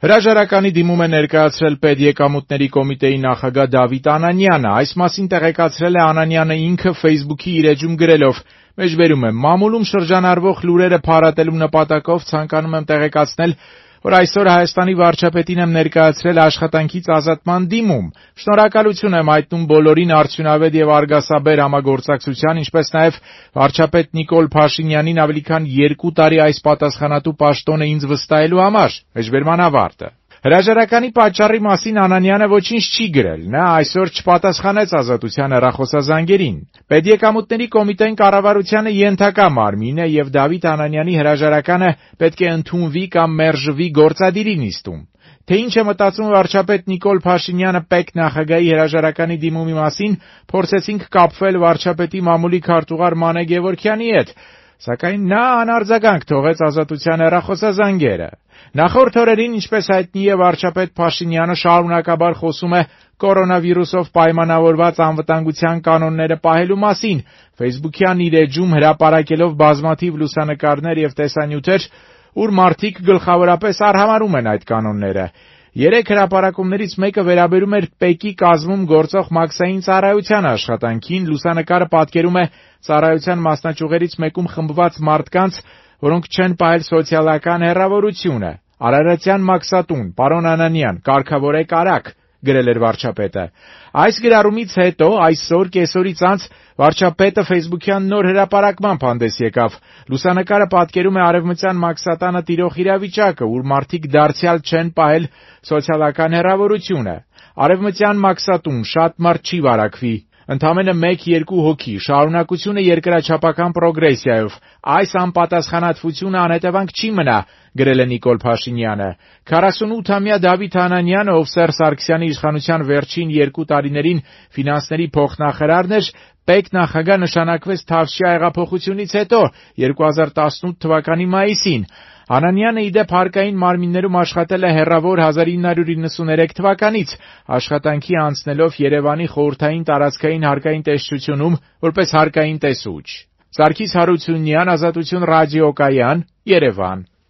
Հրաժարականի դիմում է ներկայացրել Պետեկամուտների կոմիտեի նախագահ Դավիթ Անանյանը, այս մասին տեղեկացրել է Անանյանը ինքը Facebook-ի իր էջում գրելով. «Մեջբերում եմ, մամուլում շրջանառվող լուրերը փարատելու նպատակով ցանկանում եմ տեղեկացնել, որ այսօր Հայաստանի վարչապետին եմ ներկայացրել աշխատանքից ազատման դիմում։ Շնորհակալություն եմ հայտնում բոլորին արդյունավետ եւ արգասաբեր համագործակցության, ինչպես նաեւ վարչապետ Նիկոլ Փաշինյանին ավելի քան 2 տարի այս պատասխանատու պաշտոնը ինձ վստահելու համար»։ Մեջբերման ավարտը։ Հրաժարականի պատճառի մասին Անանյանը ոչինչ չի գրել, նա այսօր չպատասխանեց Ազատության հեռախոսազանգերին։ Պետեկամուտների կոմիտեն կառավարությանը ենթակա մարմին է եւ Դավիթ Անանյանի հրաժարականը պետք է ընդունվի կամ մերժվի գործադիրի նիստում։ Թե ինչ է մտածում վարչապետ Նիկոլ Փաշինյանը ՊԵԿ նախագահի հրաժարականի դիմումի մասին, փորձեցինք կապվել վարչապետի մամուլի քարտուղար Մանե Գևորգյանի հետ, սակայն նա անարձագանք թողեց Ազատության հեռախոսազանգերը։ Նախորդ օրերին, ինչպես հայտնի է, վարչապետ Փաշինյանը շարունակաբար խոսում է կորոնավիրուսով պայմանավորված անվտանգության կանոնները պահելու մասին, Facebook-յան իր էջում հրապարակելով բազմաթիվ լուսանկարներ եւ տեսանյութեր, ուր մարդիկ գլխավորապես արհամարհում են այդ կանոնները։ 3 հրապարակումներից մեկը վերաբերում էր ՊԵԿ-ի կազմում գործող մաքսային ծառայության աշխատանքին, լուսանկարը պատկերում է ծառայության մասնաճյուղերից մեկում խմբված մարդկանց, որոնք չեն պահել սոցիալական հեռավորությունը։ «Արարատյան մաքսատուն, պարոն Անանյան, կարգավորեք արագ», գրել էր վարչապետը։ Այս գրառումից հետո այսօր կեսօրից անց վարչապետը Facebook-յան նոր հրապարակմամբ հանդես եկավ։ Լուսանկարը պատկերում է արևմտյան Մաքսատանը տիրող իրավիճակը, ուր մարդիկ դարձյալ չեն պահել սոցիալական հեռավորությունը։ Արևմտյան Մաքսատում շատ մարդ չի վարակվի, ընդամենը 1-2 հոգի, շարունակությունը երկրաչափական պրոգրեսիայով։ Այս անպատասխանատվությունը անհետևանք չի մնա, գրել է Նիկոլ Փաշինյանը։ 48-ամյա Դավիթ Անանյանը, ով Սերժ Սարգսյանի իշխանության վերջին 2 տարիներին ֆինանսների փոխնախարարն էր, ՊԵԿ նախագահ նշանակվեց Թավշյա հեղափոխությունից հետո 2018 թվականի մայիսին։ Անանյանը իդեպ հարկային մարմիններում աշխատել է հեռավոր 1993 թվականից, աշխատանքի անցնելով Երևանի խորհրդային տարածքային հարկային տեսչությունում որպես հարկային տեսուչ։ Սարգիս Հարությունյան, Ազատություն ռադիոկայան, Երևան։